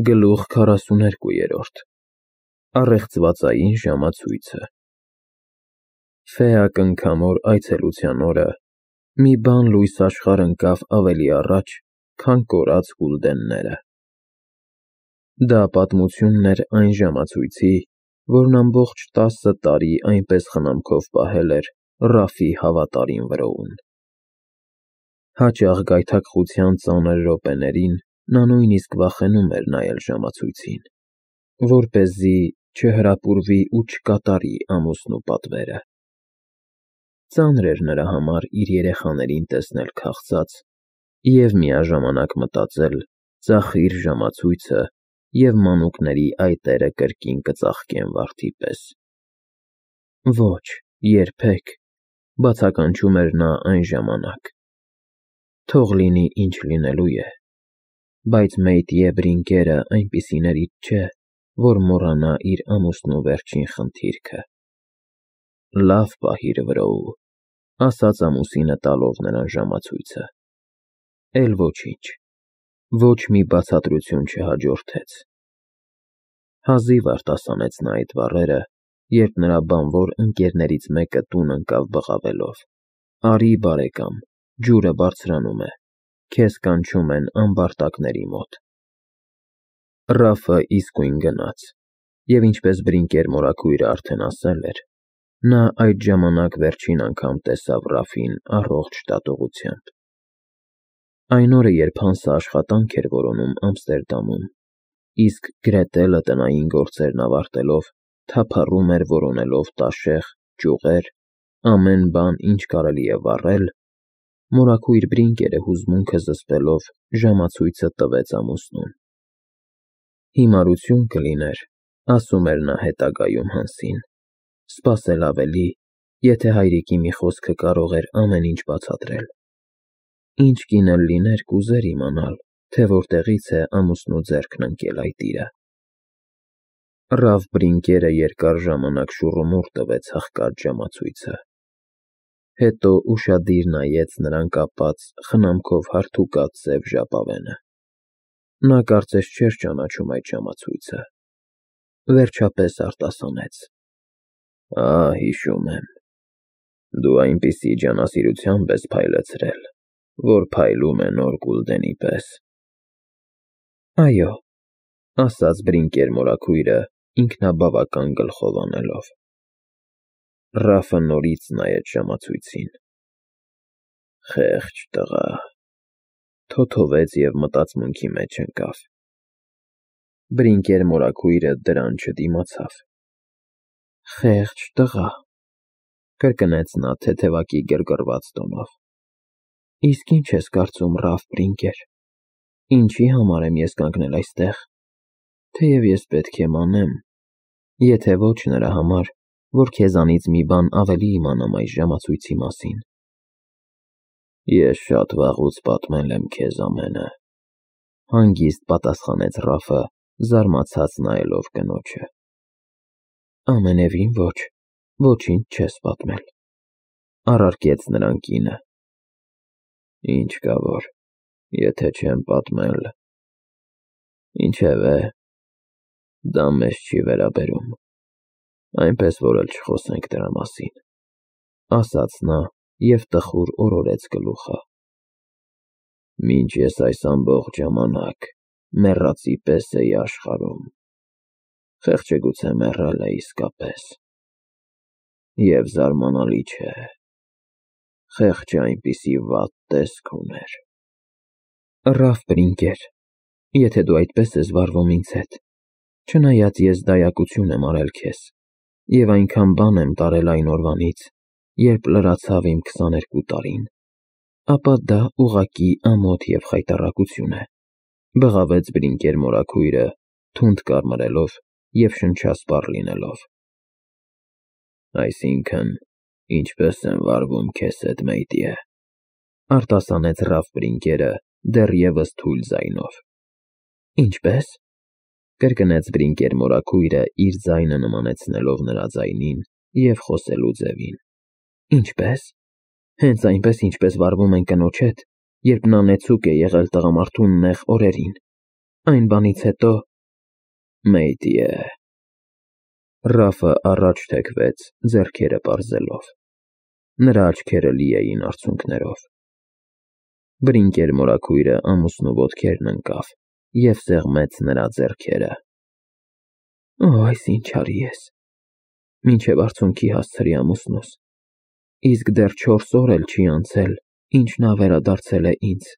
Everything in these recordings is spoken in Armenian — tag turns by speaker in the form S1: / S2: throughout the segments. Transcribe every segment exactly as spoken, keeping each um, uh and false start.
S1: Գլուխ քառասուներկուերորդ Առեղծվածային ժամացույցը Ֆեա կնքամոր այցելության օրը մի բան լույս աշխարհ ընկավ ավելի առաջ, քան կորած գուլդենները։ Դա պատմությունն էր այն ժամացույցի, որն ամբողջ տասը տարի այնպես խնամքով պահել էր Ռաֆի հավատարիմ վրոուն։ Հաճախ գայթակղության ծանր րոպեներին նա նույնիսկ վախենում էր նայել ժամացույցին, որպեսզի չհրապուրվի ու չկատարի ամուսնու պատվերը։ Ծանր էր նրա համար իր երեխաներին տեսնել քաղցած և միաժամանակ մտածել ծախիր ժամացույցը և մանուկների այտերը կրկին կծաղկեն վարդի պես։ Ոչ, երբեք, բացականչում էր նա այն ժամանակ։ Թող լինի ինչ լինելու է, բայց Մեյտյե Բրինկերը այնպիսիներից չէ, որ մոռանա իր ամուսնու վերջին խնդիրքը։ Լավ պահիր վրոու, ասաց ամուսինը տալով նրան ժամացույցը։ Էլ ոչինչ, ոչ մի բացատրություն չհաջորդեց։ Հազիվ արտասանեց նա այդ բառերը, երբ նրա բանվոր ընկերներից մեկը տուն ընկավ բղավելով. «Արի, բարեկամ, ջուրը բարձրանում է, քեզ կանչում են ամբարտակների մոտ»։ Ռաֆը իսկույն գնաց, և ինչպես Բրինկեր մորաքույրը արդեն ասել էր, նա այդ ժամանակ վերջին անգամ տեսավ Ռաֆին առողջ դատողությամբ։ Այն օրը, երբ Հանսը աշխատանք էր որոնում Ամստերդամում, իսկ Գրետելը տնային գործերն ավարտելով թափառում էր որոնելով տաշեղ, ճյուղեր, ամեն բան, ինչ կարելի է վառել, մորաքույր Բրինկերը հուզմունքը զսպելով ժամացույցը տվեց ամուսնուն։ Հիմարություն կլիներ, ասում էր նա հետագայում Հանսին, սպասել ավելի, եթե հայրիկի մի խոսքը կարող էր ամեն ինչ բացատրել։ Ինչ կին էլ լիներ, կուզեր իմանալ, թե որտեղից է ամուսնու ձեռքն ընկել այդ իրը։ Ռաֆ Բրինկերը երկար ժամանակ շուռումուռ տվեց հղկած ժամացույցը։ Հետո ուշադիր նայեց նրան կապած խնամքով հարդուկած սև ժապավենը։ Նա կարծես չէր ճանաչում այդ ժամացույցը։ Վերջապես արտասանեց. «Ա, հիշում եմ, դու այնպիսի ջանասիրությամբ ես փայլեցրել, որ փայլում է նոր գուլդենի պես»։ Այո, ասաց Բրինկեր մորաքույրը ինքնաբավական գլխով անելով։ Ռաֆը նորից նայեց ժամացույցին։ Խեղճ տղա, թոթովեց և մտածմունքի մեջ ընկավ։ Բրինկեր մորաքույրը դրան չդիմացավ։ Խեղճ տղա, կրկնեց նա թեթևակի գրգռված տոնով։ Իսկ ինչ ես կարծում, Ռաֆ Բրինկեր, ինչի համար եմ ես կանգնել այստեղ, թեև ես պետք է մանեմ, եթե ոչ նրա համար, որ քեզանից մի բան ավելի իմանամ այս ժամացույցի մասին։ Ես շատ վաղուց պատմել եմ քեզ ամենը, հանգիստ պատասխանեց Ռաֆը, զարմացած նայելով կնոջը։ Ամենևին ոչ, ոչինչ չես պատմել, առարկեց նրան կինը։ Ինչ կա որ, եթե չեմ պատմել։ Ինչևէ, դա մեզ չի վերաբերում, այնպես որ էլ չխոսենք դրա մասին, ասաց նա և տխուր օրորեց գլուխը։ Մինչ ես այս ամբողջ ժամանակ մեռածի պես էի աշխարհում, խեղճը գուցե մեռել է իսկապես։ Եվ զարմանալի չէ, խեղճը այնպիսի վատ տեսք ուներ։ Ռաֆ Բրինկեր, եթե դու այդպես ես վարվում ինձ հետ, չնայած ես դայակություն եմ արել քեզ, և այնքան բան եմ տարել այն օրվանից, երբ լրացավ իմ քսաներկու տարին, ապա դա ուղղակի ամոթ և խայտառակություն է, բղավեց Բրինկեր մորաքույրը, թունդ կարմրելով և շնչասպառ լինելով։ Այսինքն, ինչպե՞ս եմ վարվում քեզ հետ, Մեյտյե, արտասանեց Ռաֆ Բրինկերը դեռևս թույլ ձայնով։ Ինչպե՞ս, կրկնեց Բրինկեր մորաքույրը իր ձայնը նմանեցնելով նրա ձայնին և խոսելու ձևին։ Ինչպե՞ս, հենց այնպես, ինչպես վարվում են կնոջ հետ, երբ նա նեցուկ է եղել տղամարդու նեղ օրերին, այն բանից հետո, Մեյտիե։ Ռաֆը առաջ թեքվեց, ձեռքերը պարզելով։ Նրա աչքերը լի էին արցունքներով։ Բրինկեր մորաքույրը ամուսնու ոտքերն ընկավ և սեղմեց նրա ձեռքերը։ Օ, այս ինչ արի ես։ Մինչև արցունքի հասցրի ամուսնուս։ Իսկ դեռ չորս օր էլ չի անցել, ինչ նա վերադարձել է ինձ։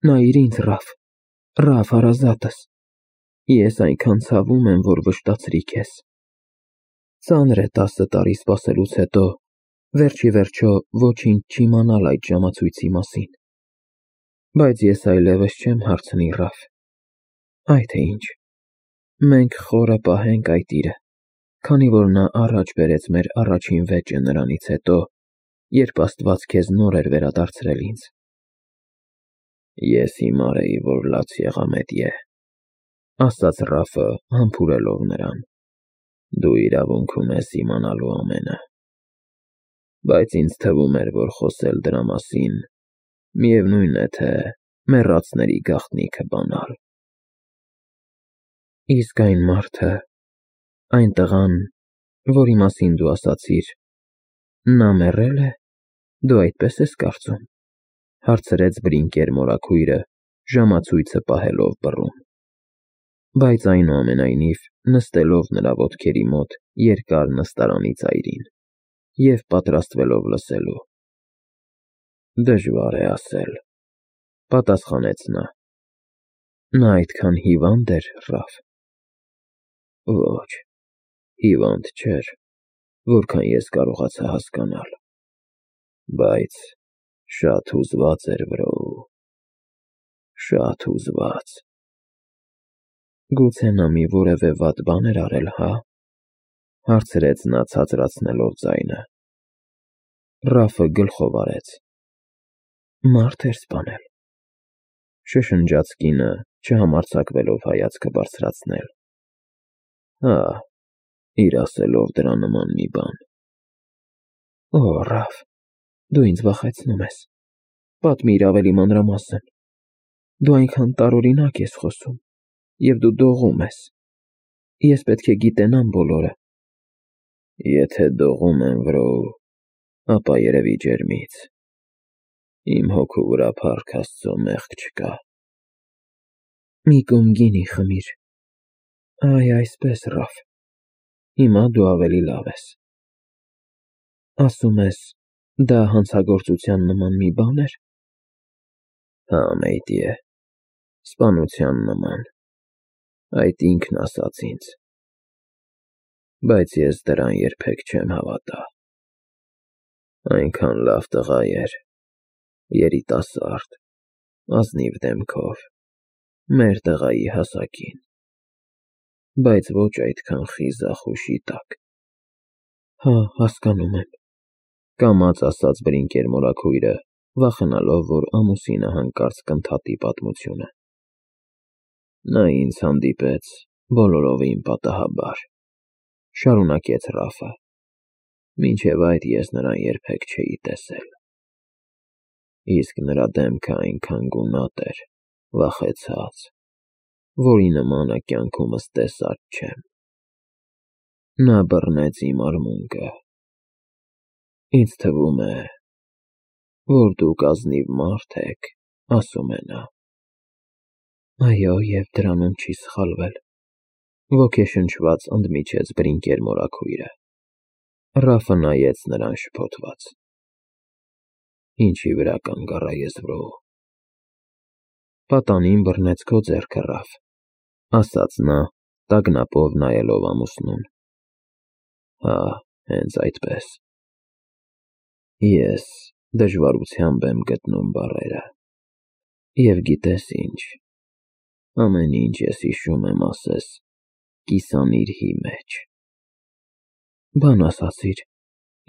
S1: Նայիր ինձ, Ռաֆ, Ռաֆ հարազատս։ Ես այնքան ցավում եմ, որ վշտացրի քեզ։ Ծանր է տասը տարի սպասելուց հետո վերջիվերջո ոչինչ չիմանալ այդ ժամացույցի մասին։ Բայց ես այլևս չեմ հարցնի, Ռաֆ։ Այ թե ինչ։ Մենք խորը պահենք այդ իրը, քանի որ նա առաջ բերեց մեր առաջին վեճը նրանից հետո, երբ Աստված քեզ նոր էր վերադարձրել ինձ։ Ես հիմար էի, որ լաց եղա, Մեդիե, ասաց Ռաֆը, համբուրելով նրան։ Դու իրավունք ունես իմանալու ամենը։ Բայց ինձ թվում էր, որ խոսել դրա մասին, միևնույն է, թե մեռածների գաղտնիքը բանալ։ Իսկ այն մարդը, այն տղան, որի մասին դու ասացիր, նա մեռել է, դու այդպես ես կարծում, հարցրեց Բրինկեր մորաքույրը, ժամացույցը պահելով բռուն։ Բայց այնուամենայնիվ նստելով նրա ոտքերի մոտ երկար նստարանի ծայրին և պատրաստվելով լսելու։ Դժվար է ասել, պատասխանեց նա։ Նա այդքան հիվա՞նդ էր, Ռաֆ։ Ոչ, հիվանդ չէր, որքան ես կարողացա հասկանալ, բայց շատ հուզված էր, վրո, շատ հուզված։ Գուցե նա մի որևէ վատ բան էր արել, հա՞, հարցրեց նա ցածրացնելով ձայնը։ Ռաֆը գլխով արեց։ Մարդ էր սպանել, շշնջաց կինը, չհամարձակվելով հայացքը բարձրացնել։ Հա, իր ասելով դրա նման մի բան։ Օ, Ռաֆ, դու ինձ վախեցնում ես։ Պատմիր ավելի մանրամասն։ Դու այնքան տարօրինակ ես խոսում, և դու դողում ես։ Ես պետք է գիտենամ բոլորը։ Եթե դողում եմ, վրո, ապա երևի ջերմից։ Իմ հոգու վրա փառք Աստծո մեղք չկա։ Մի կում գինի խմիր։ Այ այսպես, Ռաֆ, հիմա դու ավելի լավ ես։ Ասում ես, դա հանցագործության նման մի բան էր։ Հա, Մեյտիե, սպանության նման, այդ ինքն ասաց ինձ։ Բայց ես դրան երբեք չեմ հավատա։ Այնքան լավ տղա էր, երիտասարդ, ազնիվ դեմքով, մեր տղայի հասակին, բայց ոչ այդքան խիզախ ու շիտակ։ Հա, հասկանում եմ, կամաց ասաց Բրինկեր մորաքույրը, վախենալով, որ ամուսինը հանկարծ կընդհատի պատմությունը։ Նա ինձ հանդիպեց բոլորովին պատահաբար, շարունակեց Ռաֆը, մինչև այդ ես նրան երբեք չէի տեսել։ Իսկ նրա դեմքը այնքան գունատ էր, վախեցած, որի նմանը կյանքումս տեսած չեմ։ Նա բռնեց իմ արմունկը։ Ինձ թվում է, որ դուք ազնիվ մարդ եք, ասում է նա։ Այո, և դրանում չի սխալվել, ոգեշնչված ընդմիջեց Բրինկեր մորաքույրը։ Ռաֆը նայեց նրան շփոթված։ Ինչի վրա կանգ առա ես, վրո։ Պատանին բռնեց քո ձեռքը, Ռաֆ, ասաց նա, տագնապով նայելով ամուսնուն։ Հա, հենց այդպես։ Ես դժվարությամբ եմ գտնում բառերը։ Եվ գիտես ինչ, ամեն ինչ ես հիշում եմ ասես կիսանիրհի մեջ։ Բան ասացիր,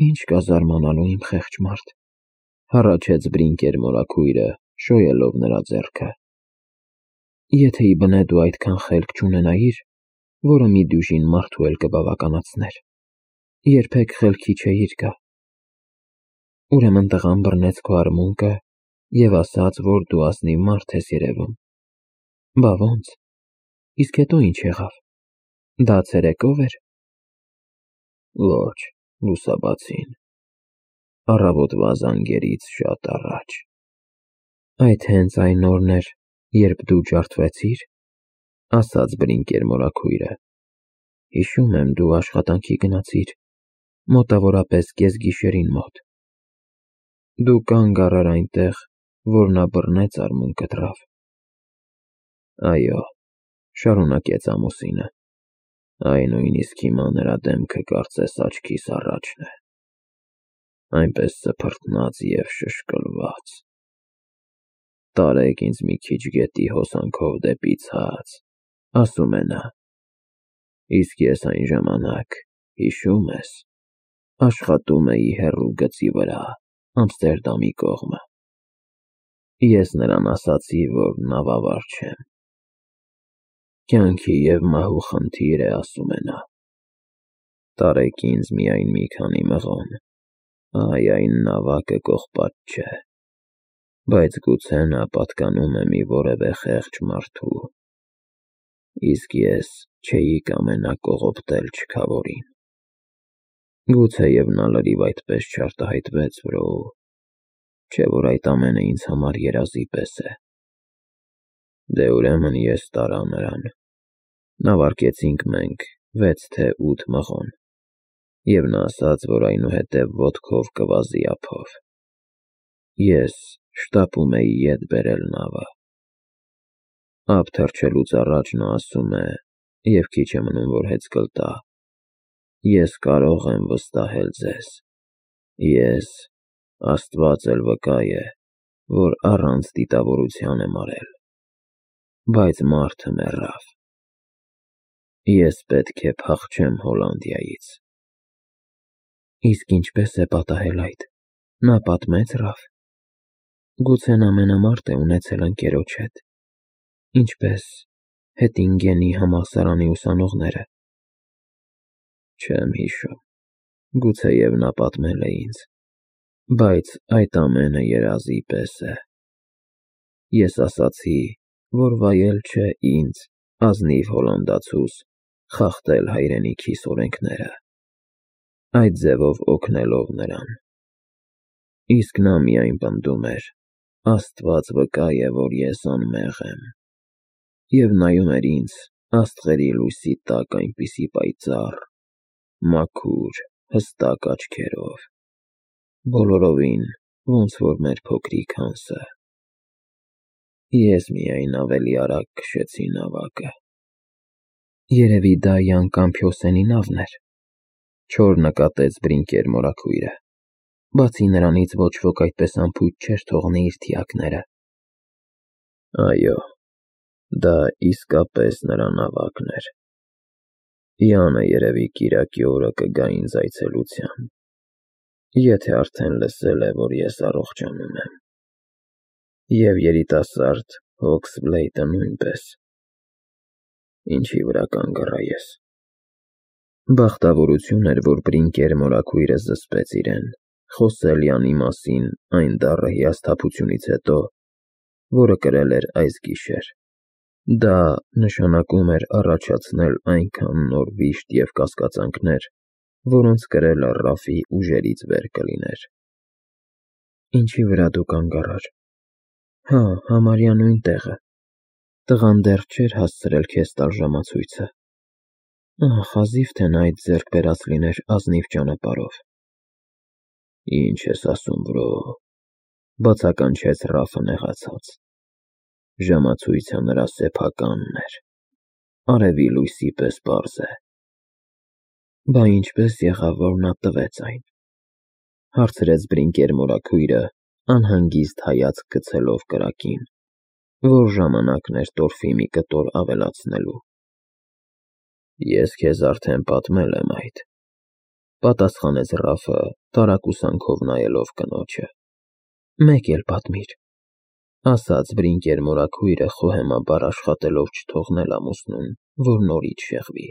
S1: ինչ կա զարմանալու, իմ խեղճ մարդ, հառաչեց Բրինկեր մորաքույրը, շոյելով նրա ձեռքը։ Եթե իբնե դու այդքան խելք չունենայիր, որը մի դյուժին մարդու էլ կբավականացներ, երբեք խելքի չէիր գա։ Ուրեմն տղան բռնեց քո արմունկը և ասաց, որ դու ազնիվ մարդ ես երևում։ Բա ո՞նց։ Իսկ հետո ինչ եղավ։ Դա ցերեկո՞վ էր։ Ոչ, լուսաբացին, առավոտվա զանգերից շատ առաջ։ Այդ հենց այն օրն էր, երբ դու ջարդվեցիր, ասաց Բրինկեր մորաքույրը։ Հիշում եմ, դու աշխատանքի գնացիր, մոտավորապես կեսգիշերին մոտ։ Դու կանգ առար այնտեղ, որ նա բռնեց արմունկդ Ռաֆ։ Այո, շարունակեց ամուսինը, այ նույնիսկ հիմա նրա դեմքը կարծես աչքիս առաջն է, այնպես սփռտնած և շշկլված։ Տարեք ինձ մի քիչ գետի հոսանքով դեպի ցած, ասում է նա, իսկ ես այն ժամանակ, հիշո՞ւմ ես, աշխատում էի հեռու գծի վրա, Ամստերդամի կողմը։ Ես նրան ասացի, որ նավավար չեմ։ Կյանքի և մահու խնդիր է, ասում է նա։ Տարեք ինձ միայն մի քանի մղոն, այ այն նավակը կողպատ չէ, բայց գուցե նա պատկանում է մի որևէ խեղճ մարդու, իսկ ես չէի կամենա կողոպտել չքավորին։ Գուցեև նա լրիվ այդպես չարտահայտվեց, վրո, չէ՞ որ այդ ամենը ինձ համար երազի պես է։ Դե ուրեմն ես տարա նրան, նավարկեցինք մենք վեց թե ութ մղոն, և նա ասաց, որ այնուհետև ոտքով կվազի ափով։ Ես շտապում էի ետ բերել նավը։ Ափ թռչելուց առաջ նա ասում է, և քիչ է մնում, որ հեծկլ տա. ես կարող եմ վստահել ձեզ, ես, Աստված էլ վկա է, որ առանց դիտավորության եմ արել, բայց մարդը մեռավ։ Ես պետք է փախչեմ Հոլանդիայից։ Իսկ ինչպե՞ս է պատահել այդ, նա պատմեց Ռաֆ։ Գուցե նա մենամարտ է ունեցել ընկերոջ հետ, ինչպես Հետինգենի համալսարանի ուսանողները։ Չեմ հիշում, գուցեև նա պատմել է ինձ, բայց այդ ամենը երազի պես է։ Ես ասացի, որ վայել չէ ինձ, ազնիվ հոլանդացուս, խախտել հայրենիքիս օրենքները, այդ ձևով օգնելով նրան։ Իսկ նա միայն պնդում էր. Աստված վկա է, որ ես անմեղ եմ, և նայում էր ինձ աստղերի լույսի տակ այնպիսի պայծառ, մաքուր, հստակ աչքերով, բոլորովին, ոնց որ մեր փոքրիկ Հանսը։ Ես միայն ավելի արագ քշեցի նավակը։ Երևի դա Յան Կամփյոսենի նավն էր, չոր նկատեց Բրինկեր մորաքույրը։ Բացի նրանից ոչ ոք այդպես անփույթ չէր թողնի իր թիակները։ Այո, դա իսկապես նրա նավակն էր։ Յանը երևի կիրակի օրը կգա ինձ այցելության, եթե արդեն լսել է, որ ես առողջանում եմ։ Եվ երիտասարդ Հոքսբլեյթը նույնպես։ Ինչի վրա կանգ առա ես։ Բախտավորություն էր, որ Բրինկեր մորաքույրը զսպեց իրեն, խոսել Յանի մասին այն դառը հիասթափությունից հետո, որը կրել էր այս գիշեր։ Դա նշանակում էր առաջացնել այնքան նոր վիշտ և կասկածանքներ, որոնց կրելը Ռաֆի ուժերից վեր կլիներ։ Ինչի վրա դու կանգ առար։ Հա, համարյա նույն տեղը։ Տղան դեռ չէր հասցրել քեզ տալ ժամացույցը։ Ահ, հազիվ թե նա այդ ձեռք բերած լիներ ազնիվ ճանապարհով։ Ինչ ես ասում, վրո, բացականչեց Ռաֆը նեղացած։ Ժամացույցը նրա սեփականն էր, արևի լույսի պես պարզ է։ Բա ինչպես եղավ, որ նա տվեց այն, հարցրեց Բրինկեր մորաքույրը, անհանգիստ հայացք գցելով կրակին, որ ժամանակն էր տորֆի մի կտոր ավելացնելու։ Ես քեզ արդեն պատմել եմ այդ, պատասխանեց Ռաֆը, տարակուսանքով նայելով կնոջը։ Մեկ էլ պատմիր, ասաց Բրինկեր մորաքույրը խոհեմաբար աշխատելով չթողնել ամուսնուն, որ նորից շեղվի։